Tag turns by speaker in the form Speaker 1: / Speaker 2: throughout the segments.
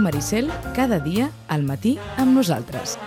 Speaker 1: Ràdio Maricel, cada dia al matí amb nosaltres.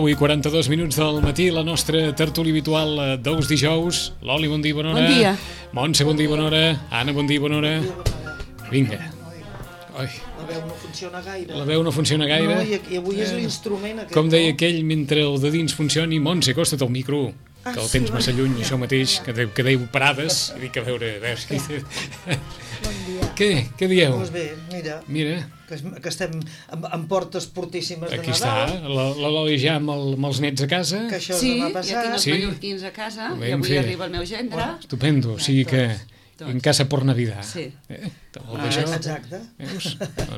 Speaker 2: I 42 minuts del matí, la nostra tertúlia habitual dels dijous. Loli, bon dia, bona hora.
Speaker 3: Bon dia.
Speaker 2: Montse, bon dia, bona hora. Anna, bon dia, bona hora. Vinga. Oi.
Speaker 4: La veu no funciona gaire.
Speaker 2: La veu no funciona gaire.
Speaker 4: No, i avui és l'instrument aquest.
Speaker 2: Com deia aquell, mentre el de dins funcioni, Montse, acosta't al micro, que el tens massa lluny, això mateix, que deiu parades, i dic, a veure...
Speaker 4: Bon dia.
Speaker 2: Què dieu?
Speaker 4: Doncs bé, mira. Que estem en portes portíssimes de Nadal.
Speaker 2: Aquí està, la Loli ja amb els nets a casa.
Speaker 4: Que això és demà passat.
Speaker 3: Ja tinc els mallorquins a casa, i avui arriba el meu gendre.
Speaker 2: Estupendo, o sigui que en casa por Navidad.
Speaker 3: Sí.
Speaker 4: Exacte.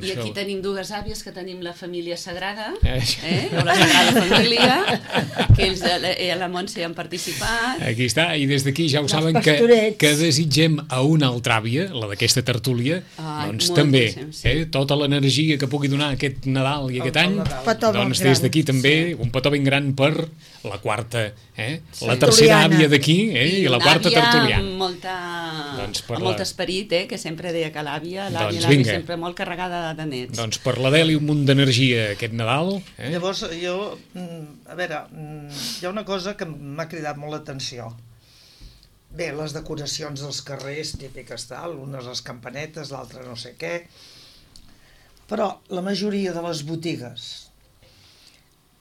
Speaker 3: I aquí tenim dues àvies que tenim la família sagrada, o la sagrada família, que ells la Montse han participat.
Speaker 2: Aquí està, i des d'aquí ja ho saben que desitgem a una altra àvia, la d'aquesta tertúlia, doncs també, tota l'energia que pugui donar aquest Nadal i aquest any, doncs des d'aquí també un petó ben gran per la quarta, la tercera àvia d'aquí i la quarta tertuliana.
Speaker 3: Amb molt esperit, que sempre deia que l'àvia sempre molt carregada de nets.
Speaker 2: Doncs per l'Adeli un munt d'energia aquest Nadal.
Speaker 4: Llavors, a veure, hi ha una cosa que m'ha cridat molt l'atenció. Bé, les decoracions dels carrers, típiques tal, unes les campanetes, l'altra no sé què, però la majoria de les botigues,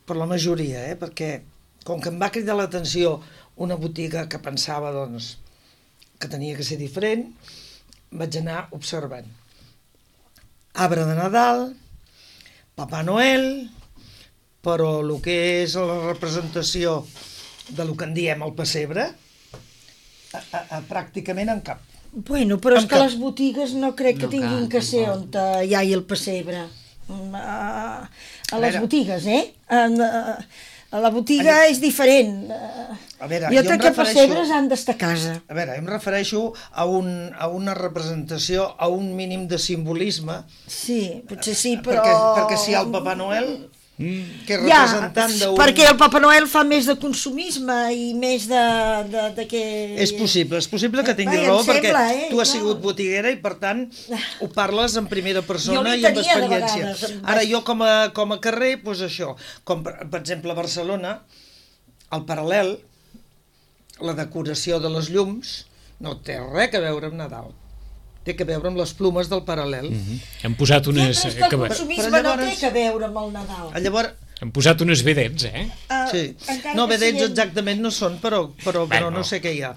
Speaker 4: per la majoria, perquè com que em va cridar l'atenció una botiga que pensava, doncs, que tenia que ser diferent, vaig anar observant. Arbre de Nadal, Papà Noel, però el que és la representació de lo que en diem el pessebre, pràcticament en cap.
Speaker 5: Bueno, però és que les botigues no crec que tinguin que ser on hi ha el pessebre. A les botigues, a la botiga és diferent. Jo crec que pessebres han d'estar a casa.
Speaker 4: A veure, em refereixo a una representació, a un mínim de simbolisme.
Speaker 5: Sí, potser sí, però...
Speaker 4: Perquè si hi ha el Papà Noel, que és representant d'un...
Speaker 5: Perquè el Papà Noel fa més de consumisme i més de que...
Speaker 4: És possible que tingui raó, perquè tu has sigut botiguera i, per tant, ho parles en primera persona i amb experiència. Ara, jo com a carrer, doncs això, com per exemple a Barcelona, al Paral·lel, la decoració de les llums no té res a veure amb Nadal. Té a veure amb les plomes del Paral·lel.
Speaker 2: Hem posat unes...
Speaker 5: El consumisme no té a veure amb el Nadal.
Speaker 4: Llavors...
Speaker 2: Hem posat unes vedets,
Speaker 4: Sí. No, vedets exactament no són, però no sé què hi ha.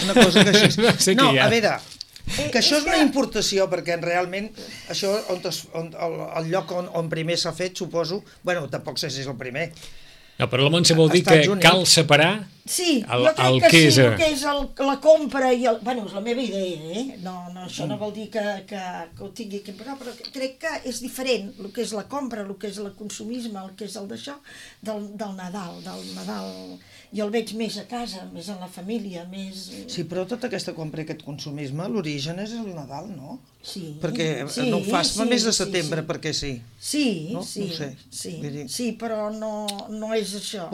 Speaker 4: Una cosa que així... No, a veure, que això és una importació, perquè realment això, el lloc on primer s'ha fet, suposo... Bueno, tampoc sé si és el primer.
Speaker 2: No, però la Montse vol dir que cal separar el que és...
Speaker 5: el que és la compra i el... Bueno, és la meva idea, No, això no vol dir que ho tingui que pagar, però crec que és diferent el que és la compra, el que és el consumisme, el que és el d'això, del Nadal. Jo el veig més a casa, més en la família, més...
Speaker 4: Sí, però tota aquesta compra i aquest consumisme, l'origen és el Nadal, no?
Speaker 5: Sí.
Speaker 4: Perquè no ho fas mes de setembre, perquè sí.
Speaker 5: Sí, però no és això.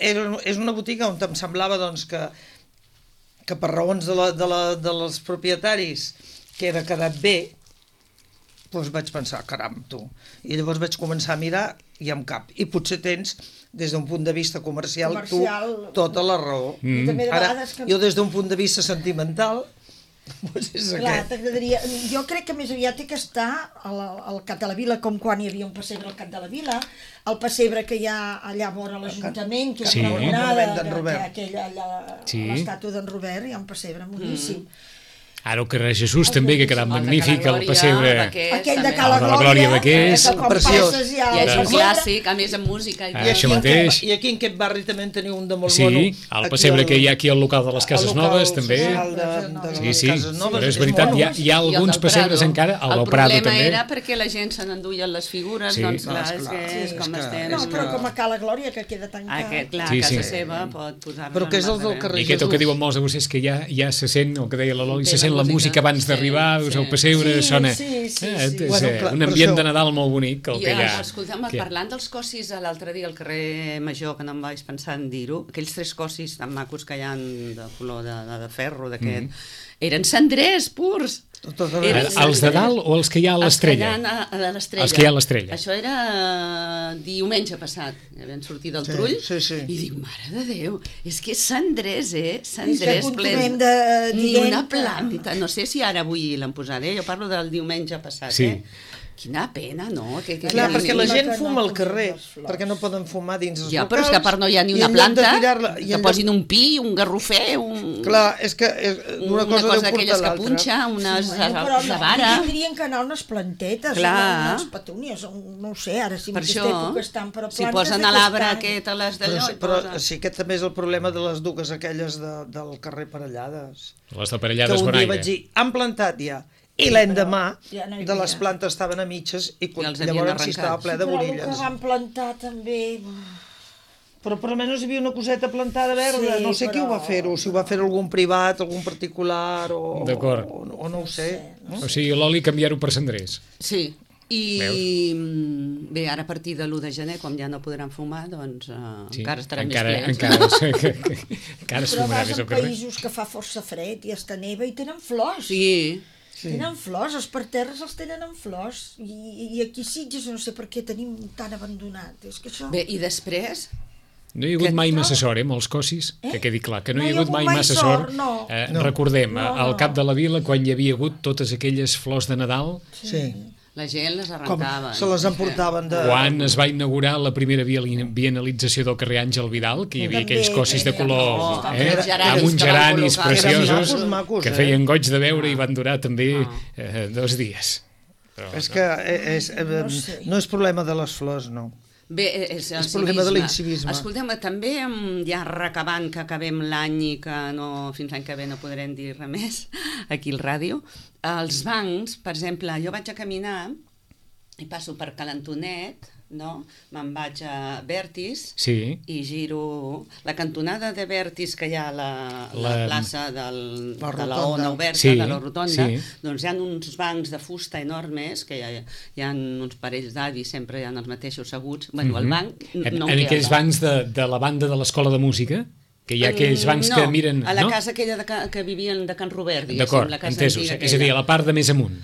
Speaker 4: És una botiga on em semblava doncs, que per raons dels propietaris que era quedat bé, Doncs vaig pensar, caram, tu. I llavors vaig començar a mirar i amb cap. I potser tens, des d'un punt de vista comercial, tu, tota la raó. Ara, jo des d'un punt de vista sentimental, doncs és aquest.
Speaker 5: Jo crec que més aviat té que estar al Cap de la Vila, com quan hi havia un pessebre al Cap de la Vila, el pessebre que hi ha allà vora l'Ajuntament, que és una monada, l'estàtua d'en Robert, hi ha un pessebre moníssim.
Speaker 2: Ara el carrer Jesús també, que ha quedat magnífic, el pessebre
Speaker 5: aquell de Cala
Speaker 2: Glòria Baquers,
Speaker 4: preciós.
Speaker 3: I és un clàssic, a més amb música.
Speaker 4: I aquí en aquest barri també en teniu un de molt mono.
Speaker 2: Sí, el pessebre que hi ha aquí al local de les Cases Noves també. Sí, però és veritat, hi ha alguns pessebres encara, al Prado també.
Speaker 3: El problema era perquè la gent se n'enduien les figures, doncs clar, és com estem.
Speaker 5: No, però com a Cala Glòria, que queda tancat.
Speaker 3: Clar, a casa seva pot posar-la.
Speaker 4: Però que és el del carrer Jesús.
Speaker 2: I aquest el que diuen molts de vostès, que ja se sent, el que deia la Loli, se sent la música abans d'arribar, el pessebre sona... És un ambient de Nadal molt bonic el que hi ha.
Speaker 3: Escolta'm, parlant dels cossis l'altre dia al carrer Major, que no em vaig pensar en dir-ho, aquells 3 cossis tan macos que hi ha de color de ferro, d'aquest, eren cendrers purs.
Speaker 2: Els de dalt o els que hi ha a l'Estrella? Els que hi ha a l'Estrella.
Speaker 3: Això era diumenge passat, vam sortir del Trull i dic, mare de Déu, és que cendrers, cendrers plens, ni una planta, no sé si ara avui l'han posat, jo parlo del diumenge passat, Quina pena, no?
Speaker 4: Clar, perquè la gent fuma al carrer, perquè no poden fumar dins els locals.
Speaker 3: Ja, però és que a part no hi ha ni una planta, que posin un pi, un garrofer,
Speaker 4: Clar, és que una cosa
Speaker 3: d'aquelles que punxa, unes vara.
Speaker 5: Tindrien que anar unes plantetes, unes petúnies, no ho sé, ara si aquesta època estan per a plantes...
Speaker 3: Si posen a l'arbre aquest a les d'allò...
Speaker 4: Però sí que també és el problema de les dues aquelles del carrer Parellades.
Speaker 2: Les de Parellades
Speaker 4: Bonaire. Que un dia vaig dir, han plantat ja. I l'endemà de les plantes estaven a mitges i llavors sí estava ple de borilles.
Speaker 5: Però el que van plantar també...
Speaker 4: Però per almenys hi havia una coseta plantada verda, no sé qui ho va fer-ho, si ho va fer algun privat, algun particular o no ho sé.
Speaker 2: O sigui, l'oli canviar-ho per cendrers.
Speaker 3: Sí, i bé, ara a partir de l'1 de gener, com ja no podran fumar, doncs encara estaran més plens.
Speaker 2: Encara es fumarà més al carrer.
Speaker 5: Però vas a països que fa força fred i està neva i tenen flors.
Speaker 3: Sí.
Speaker 5: Tenen flors, els parterres els tenen en flors i aquí Sitges no sé per què tenim tan abandonat. És que això...
Speaker 3: Bé, i després...
Speaker 2: No hi ha hagut mai massa sort, molts cossis, que quedi clar, que no hi ha hagut mai massa sort. Recordem, al Cap de la Vila, quan hi havia hagut totes aquelles flors de Nadal...
Speaker 3: Sí. La gent les arrencava.
Speaker 4: Se les emportaven de...
Speaker 2: Quan es va inaugurar la primera bienalització del carrer Àngel Vidal, que hi havia aquells cossis de color amb uns geranis preciosos que feien goig de veure i van durar també 2 dies.
Speaker 4: És que no és problema de les flors, no.
Speaker 3: Bé, és
Speaker 4: problema de l'incivisme.
Speaker 3: Escoltem, també ja recabant que acabem l'any i que fins l'any que ve no podrem dir res més aquí al ràdio, els bancs, per exemple, jo vaig a caminar i passo per Calantonet, no? Me'n vaig a Vertis i giro la cantonada de Vertis que hi ha a la plaça de la Ona Oberta, de la Rotonda, doncs hi ha uns bancs de fusta enormes, que hi ha uns parells d'avis, sempre hi ha els mateixos asseguts. Bueno, el banc no
Speaker 2: en aquells bancs de la banda de l'Escola de Música? Que hi ha aquells bancs que miren...
Speaker 3: No, a la casa aquella que vivien de Can Robert,
Speaker 2: diguéssim, la casa antiga. És a dir, a la part de més amunt.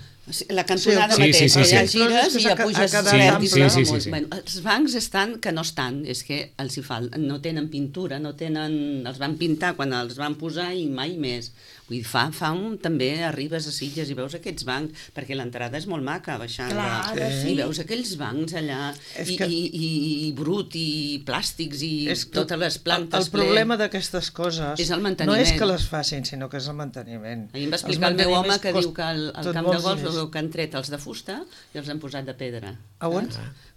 Speaker 3: La cantonada mateix, ja gires i ja puges Vertis. Els bancs estan que no estan, és que els hi falta, no tenen pintura, els van pintar quan els van posar i mai més. Vull dir, també arribes a Sitges i veus aquests bancs, perquè l'entrada és molt maca, baixant, i veus aquells bancs allà, i brut, i plàstics, i totes les plantes.
Speaker 4: El problema d'aquestes coses no és que les facin, sinó que és el manteniment.
Speaker 3: Ahir em va explicar el meu home que diu que al camp de golf que han tret els de fusta i els han posat de pedra.
Speaker 4: A on?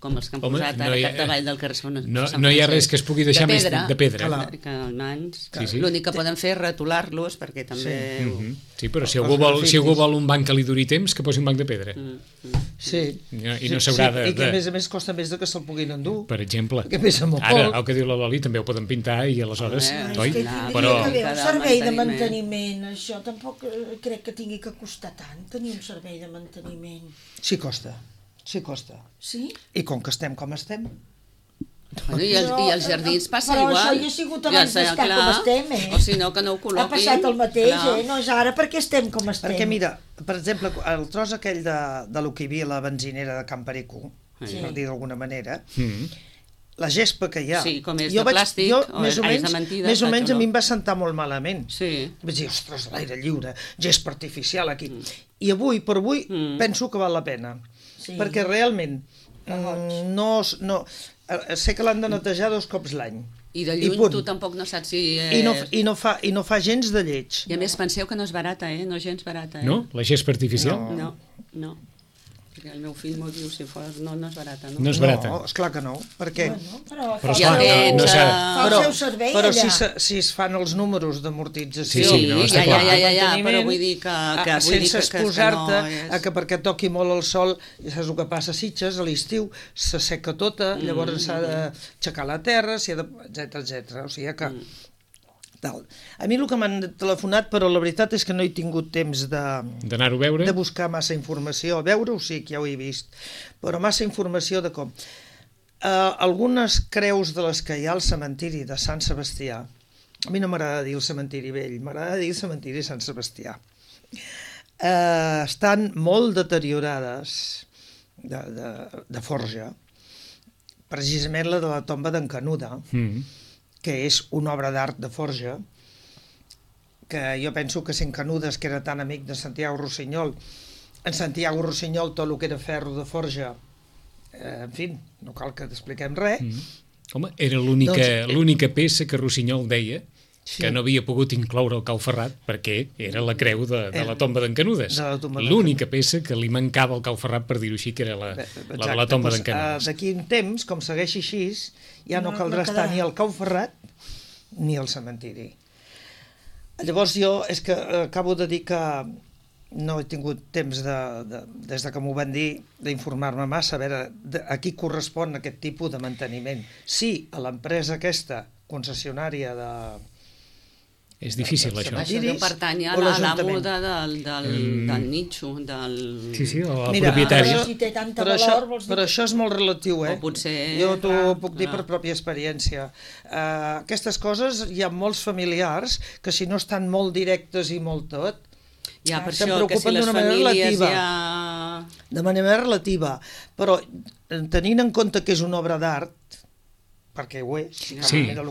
Speaker 3: Com els que han posat ara capdavall del carrer Sant Francesc.
Speaker 2: No hi ha res que es pugui deixar més de pedra.
Speaker 3: L'únic que poden fer és retolar-los, perquè també...
Speaker 2: Sí, però si algú vol un banc que li duri temps, que posi un banc de pedra.
Speaker 4: Sí.
Speaker 2: I no s'haurà de...
Speaker 4: I que a més costa més que se'l puguin endur.
Speaker 2: Per exemple.
Speaker 4: Que pesa molt.
Speaker 2: Ara, el que diu la Loli, també ho poden pintar i aleshores...
Speaker 5: Però... un servei de manteniment, això tampoc crec que tingui que costar tant, tenir un servei de manteniment.
Speaker 4: Sí costa. Sí costa.
Speaker 5: Sí?
Speaker 4: I com que estem com estem,
Speaker 3: Bueno, i els jardins passa
Speaker 5: igual.
Speaker 3: Però
Speaker 5: això ja ha sigut abans d'estar com estem,
Speaker 3: O si no, que no ho col·loquin.
Speaker 5: Ha passat el mateix, no és ara perquè estem com estem.
Speaker 4: Perquè mira, per exemple, el tros aquell de lo que hi havia a la benzinera de Can Perico, per dir d'alguna manera, la gespa que hi ha...
Speaker 3: Sí, com és de plàstic, o és de mentida.
Speaker 4: Més o menys a mi em va sentar molt malament.
Speaker 3: Sí.
Speaker 4: Vaig dir, ostres, l'aire lliure, gespa artificial aquí. I avui, per avui, penso que val la pena. Perquè realment, sé que l'han de netejar 2 cops l'any.
Speaker 3: I de lluny tu tampoc no saps si...
Speaker 4: I no fa gens de lleig.
Speaker 3: I a més penseu que no és barata, no és gens barata.
Speaker 2: No? La gespa artificial?
Speaker 3: No. El meu fill m'ho diu, si fos, no és barata, no?
Speaker 2: No és barata.
Speaker 4: No, esclar que no, perquè...
Speaker 5: Però
Speaker 2: fa el
Speaker 5: seu servei,
Speaker 4: però
Speaker 5: allà.
Speaker 4: si es fan els números d'amortització...
Speaker 2: Sí, no, està clar.
Speaker 3: Ja, però vull dir que
Speaker 4: sense exposar-te a que perquè toqui molt el sol, ja saps el que passa a Sitges, a l'estiu, s'asseca tota, llavors s'ha d'aixecar la terra, etc. O sigui que... A mi el que m'han telefonat, però la veritat és que no he tingut temps
Speaker 2: d'anar-ho a veure,
Speaker 4: de buscar massa informació. A veure-ho sí que ja ho he vist, però massa informació de com. Algunes creus de les que hi ha al cementiri de Sant Sebastià, a mi no m'agrada dir el cementiri vell, m'agrada dir el cementiri Sant Sebastià, estan molt deteriorades de forja, precisament la de la tomba d'en Canuda, que és una obra d'art de forja, que jo penso que si en Canudes, que era tan amic de Santiago Rossinyol, en Santiago Rossinyol tot el que era ferro de forja, en fi, no cal que t'expliquem res.
Speaker 2: Home, era l'única peça que Rossinyol deia que no havia pogut incloure el Cau Ferrat perquè era la creu de la tomba d'en Canudes. L'única peça que li mancava al Cau Ferrat, per dir-ho així, que era la de la tomba d'en Canudes.
Speaker 4: D'aquí un temps, com segueixi així, ja no caldrà estar ni al Cau Ferrat ni al cementiri. Llavors jo és que acabo de dir que no he tingut temps, des de que m'ho van dir, d'informar-me massa, a veure a qui correspon aquest tipus de manteniment. Sí, a l'empresa aquesta concessionària de...
Speaker 2: És difícil, això.
Speaker 3: Això deu pertany a la muda del nitxo, del...
Speaker 2: Sí, o al propietari.
Speaker 4: Però això és molt relatiu,
Speaker 3: O potser...
Speaker 4: Jo t'ho puc dir per pròpia experiència. Aquestes coses hi ha molts familiars que si no estan molt directes i molt tot,
Speaker 3: ja, per això que si les famílies ja...
Speaker 4: De manera relativa, però tenint en compte que és una obra d'art, perquè ho és, el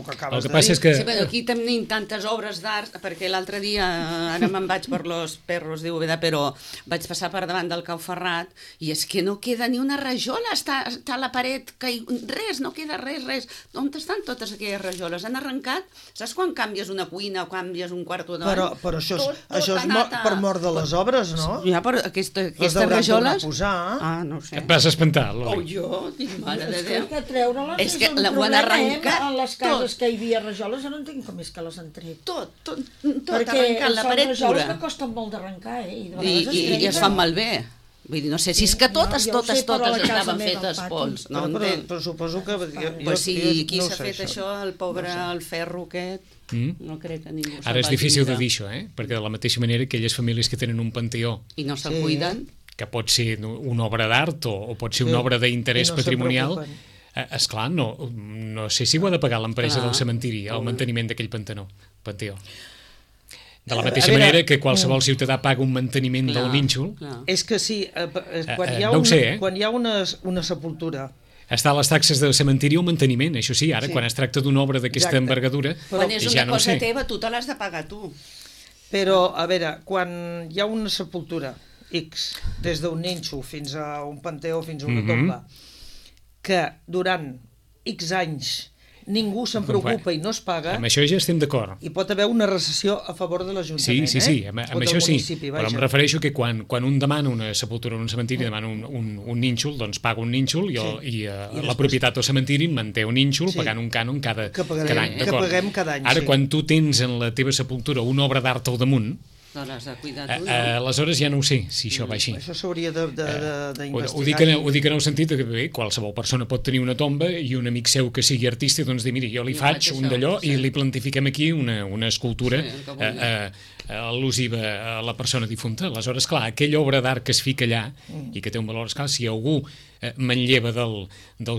Speaker 4: que acabes de dir.
Speaker 2: Que...
Speaker 3: Sí, però aquí tenim tantes obres d'art, perquè l'altre dia, ara me'n vaig per los perros, diu Veda, però vaig passar per davant del Cau Ferrat i és que no queda ni una rajola, està a la paret, res, no queda res. On estan totes aquelles rajoles? Han arrencat? Saps quan canvies una cuina o canvies un quarto d'hora?
Speaker 4: Però això és per mort de les obres, no?
Speaker 3: Ja, però aquestes rajoles... No sé.
Speaker 2: Et vas espantar, Loli.
Speaker 3: Jo, dic, mare de Déu.
Speaker 5: És que treure-les és un problema. A les cases que hi havia rajoles, no entenc com és que les han tret.
Speaker 3: Tot arrencat, la paret pura.
Speaker 5: Perquè són rajoles que costen molt d'arrencar,
Speaker 3: I es fan malbé. Vull dir, no sé si és que totes estaven fetes pols.
Speaker 4: Però suposo que...
Speaker 3: Pues si qui s'ha fet això, el pobre, el ferro aquest, no crec que ningú...
Speaker 2: Ara és difícil de dir això, perquè de la mateixa manera aquelles famílies que tenen un panteó...
Speaker 3: I no se'l cuiden...
Speaker 2: Que pot ser una obra d'art o pot ser una obra d'interès patrimonial... Esclar, no sé si ho ha de pagar l'empresa del cementiri, el manteniment d'aquell panteó. De la mateixa manera que qualsevol ciutadà paga un manteniment del nínxol.
Speaker 4: És que sí, quan hi ha una sepultura...
Speaker 2: Està a les taxes del cementiri o manteniment, això sí, ara quan es tracta d'una obra d'aquesta envergadura...
Speaker 3: Quan és una cosa teva, tu te l'has de pagar tu.
Speaker 4: Però, a veure, quan hi ha una sepultura X, des d'un nínxol fins a un panteó, fins a una tomba, que durant X anys ningú se'n preocupa i no es paga...
Speaker 2: Amb això ja estem d'acord.
Speaker 4: Hi pot haver una recessió a favor de l'Ajuntament.
Speaker 2: Sí, amb això sí, però em refereixo que quan un demana una sepultura en un cementiri, demana un nínxol, doncs paga un nínxol i la propietat del cementiri manté un nínxol pagant un cànon cada any.
Speaker 4: Que paguem cada any,
Speaker 2: ara, quan tu tens en la teva sepultura una obra d'art al damunt,
Speaker 3: l'has de cuidar tu, no?
Speaker 2: Aleshores ja no ho sé si això va així.
Speaker 4: Això s'hauria d'investigar.
Speaker 2: Ho dic en el sentit que bé, qualsevol persona pot tenir una tomba i un amic seu que sigui artista doncs dir, mira, jo li faig un d'allò i li plantifiquem aquí una escultura al·lusiva a la persona difunta. Aleshores, clar, aquella obra d'art que es fica allà i que té un valor, esclar, si algú manlleva del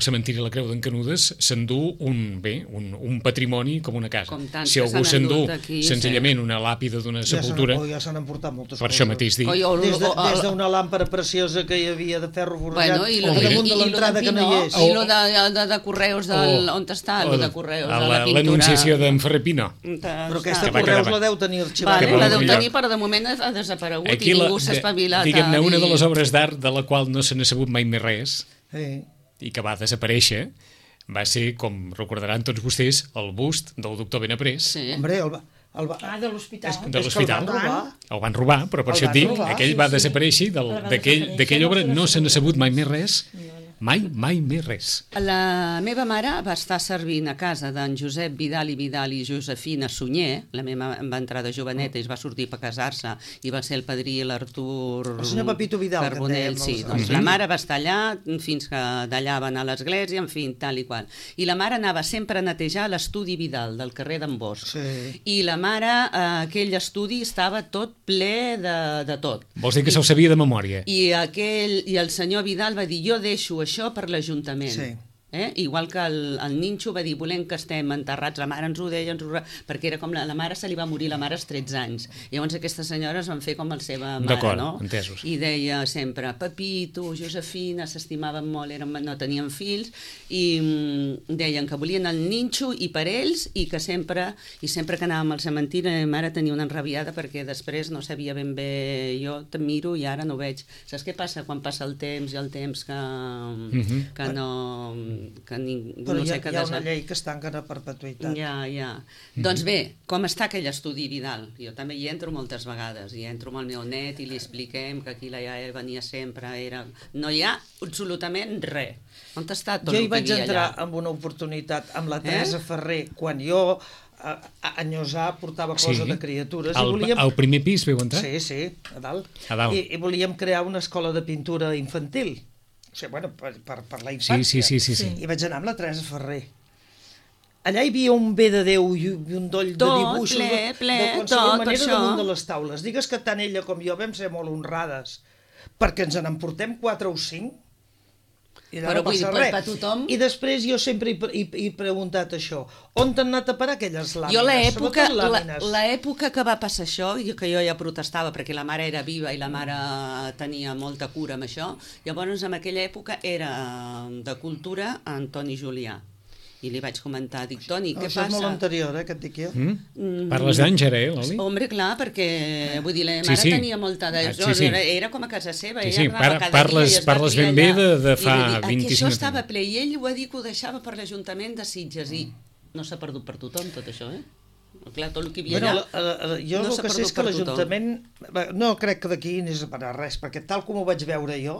Speaker 2: cementiri de la Creu d'en Canudes, s'endú un patrimoni com una casa. Si algú s'endú senzillament una làpida d'una sepultura...
Speaker 4: Ja s'han emportat moltes coses.
Speaker 2: Per això mateix dic.
Speaker 4: Des d'una làmpara preciosa que hi havia de ferro forjat damunt de l'entrada que no hi és.
Speaker 3: I lo de Correus, on està lo de Correus?
Speaker 2: L'anunciació d'en Ferrer Pino.
Speaker 4: Però aquesta Correus la deu tenir arxivada.
Speaker 3: La deu tenir, però de moment ha desaparegut i ningú s'ha espavilat.
Speaker 2: Diguem-ne, una de les obres d'art de la qual no se n'ha sabut mai més res i que va desaparèixer va ser, com recordaran tots vostès, el bust del doctor Benaprés.
Speaker 4: Hombre,
Speaker 5: de l'hospital.
Speaker 2: De l'hospital. El van robar, però per això et dic, aquell va desaparèixer, d'aquella obra no se n'ha sabut mai més res. Mai més res.
Speaker 3: La meva mare va estar servint a casa d'en Josep Vidal i Josefina Sunyer. La meva va entrar de joveneta i es va sortir per casar-se i va ser el padrí l'Artur...
Speaker 4: El senyor Pepito Vidal.
Speaker 3: Carbonell, sí. Doncs la mare va estar allà fins que d'allà va anar a l'església, en fi, tal i qual. I la mare anava sempre a netejar l'estudi Vidal del carrer d'en Bosch. I la mare, aquell estudi estava tot ple de tot.
Speaker 2: Vols dir que se'l sabia de memòria?
Speaker 3: I el senyor Vidal va dir, jo deixo això per l'Ajuntament.
Speaker 4: Sí.
Speaker 3: Igual que el Ninxo va dir, volem que estem enterrats, la mare ens ho deia, perquè era com la mare se li va morir la mare als 13 anys. Llavors aquestes senyores van fer com la seva mare,
Speaker 2: d'acord,
Speaker 3: no?
Speaker 2: Entesos.
Speaker 3: I deia sempre, Pepito, Josefina, s'estimaven molt, no tenien fills, i deien que volien el Ninxo i per ells, i que sempre que anàvem al cementiri, la mare tenia una enrabiada perquè després no sabia ben bé, jo te miro i ara no veig. Saps què passa quan passa el temps i el temps que no...
Speaker 4: Però hi ha una llei que es tanquen a perpetuïtat.
Speaker 3: Ja. Doncs bé, com està aquell estudi Vidal? Jo també hi entro moltes vegades, i entro amb el meu net i li expliquem que aquí la iaia venia sempre, no hi ha absolutament res. On està tot el que hi havia allà? Jo hi vaig entrar
Speaker 4: amb una oportunitat amb la Teresa Ferrer, quan jo a Enyossar portava cosa de criatures.
Speaker 2: Al primer pis veu entrar?
Speaker 4: Sí, a dalt. I volíem crear una escola de pintura infantil. O sigui, per la infància.
Speaker 2: Sí.
Speaker 4: I vaig anar amb la Teresa Ferrer. Allà hi havia un bé de Déu i un doll de dibuixos de qualsevol manera damunt de les taules. Digues que tant ella com jo vam ser molt honrades perquè ens n'emportem 4 o 5 i no passa res.
Speaker 3: Per tothom...
Speaker 4: I després jo sempre he preguntat això. On t'han anat a parar aquelles làmines?
Speaker 3: Jo l'època que va passar això, que jo ja protestava perquè la mare era viva i la mare tenia molta cura amb això, llavors en aquella època era de cultura Antoni Julià. I li vaig comentar, dic, Toni, què passa?
Speaker 4: Això és molt anterior, que et dic jo.
Speaker 2: Parles d'anys, ara, Loli?
Speaker 3: Hombre, clar, perquè, vull dir, la mare tenia molta era com a casa seva, ella anava cada dia i es va
Speaker 2: parles ben bé de fa 25 anys.
Speaker 3: Això estava ple, i ell ho va dir que ho deixava per l'Ajuntament de Sitges, i no s'ha perdut per tothom, tot això, Clar, tot el que hi havia allà...
Speaker 4: Jo el que sé és que l'Ajuntament... No crec que d'aquí anés a parar res, perquè tal com ho vaig veure jo,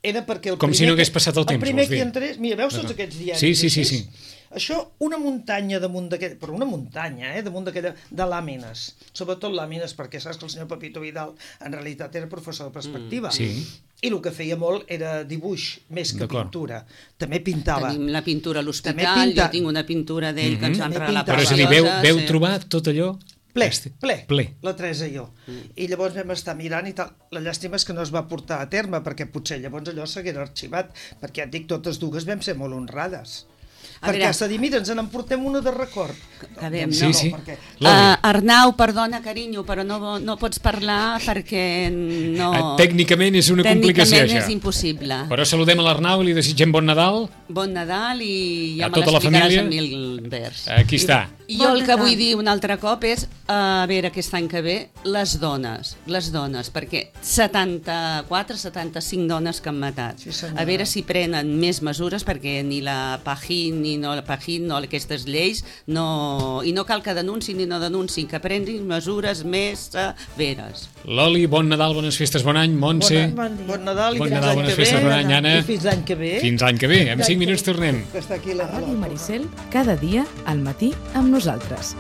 Speaker 4: era perquè
Speaker 2: com si no hagués passat el temps,
Speaker 4: el primer que hi entrés... Mira, veus tots aquests diaris?
Speaker 2: Sí.
Speaker 4: Això, una muntanya damunt d'aquella... Però una muntanya, damunt d'aquella... De làmines. Sobretot làmines, perquè saps que el senyor Pepito Vidal en realitat era professor de perspectiva. I el que feia molt era dibuix, més que pintura. També pintava.
Speaker 3: Tenim la pintura a l'hospital, jo tinc una pintura d'ell que ens van regalar per
Speaker 2: Però és a dir, veu trobar tot allò...
Speaker 4: Ple, la Teresa i jo. I llavors vam estar mirant i tal. La llàstima és que no es va portar a terme, perquè potser llavors allò s'haguera arxivat, perquè ja et dic, totes dues vam ser molt honrades. Perquè has de dir, mira, ens n'emportem una de record.
Speaker 2: Sí.
Speaker 3: Arnau, perdona, carinyo, però no pots parlar perquè no...
Speaker 2: Tècnicament és una complicació, això.
Speaker 3: Tècnicament és impossible.
Speaker 2: Però saludem a l'Arnau i li desitgem bon Nadal.
Speaker 3: Bon Nadal i ja
Speaker 2: me l'explicaràs
Speaker 3: en mil vers.
Speaker 2: Aquí està.
Speaker 3: I jo el que vull dir un altre cop és, a veure, aquest any que ve, les dones, perquè 75 dones que han matat. A veure si prenen més mesures, perquè ni la Pajín, no aquestes lleis, i no cal que denunciïn ni no denunciïn, que prenguin mesures més severes.
Speaker 2: Loli, bon Nadal, bones festes, bon any. Montse,
Speaker 4: bon Nadal i
Speaker 2: bones festes, bon any, Anna.
Speaker 4: I fins l'any que ve.
Speaker 2: Fins l'any que ve, en 5 minuts tornem.
Speaker 1: A Ràdio Maricel, cada dia, al matí, amb nosaltres.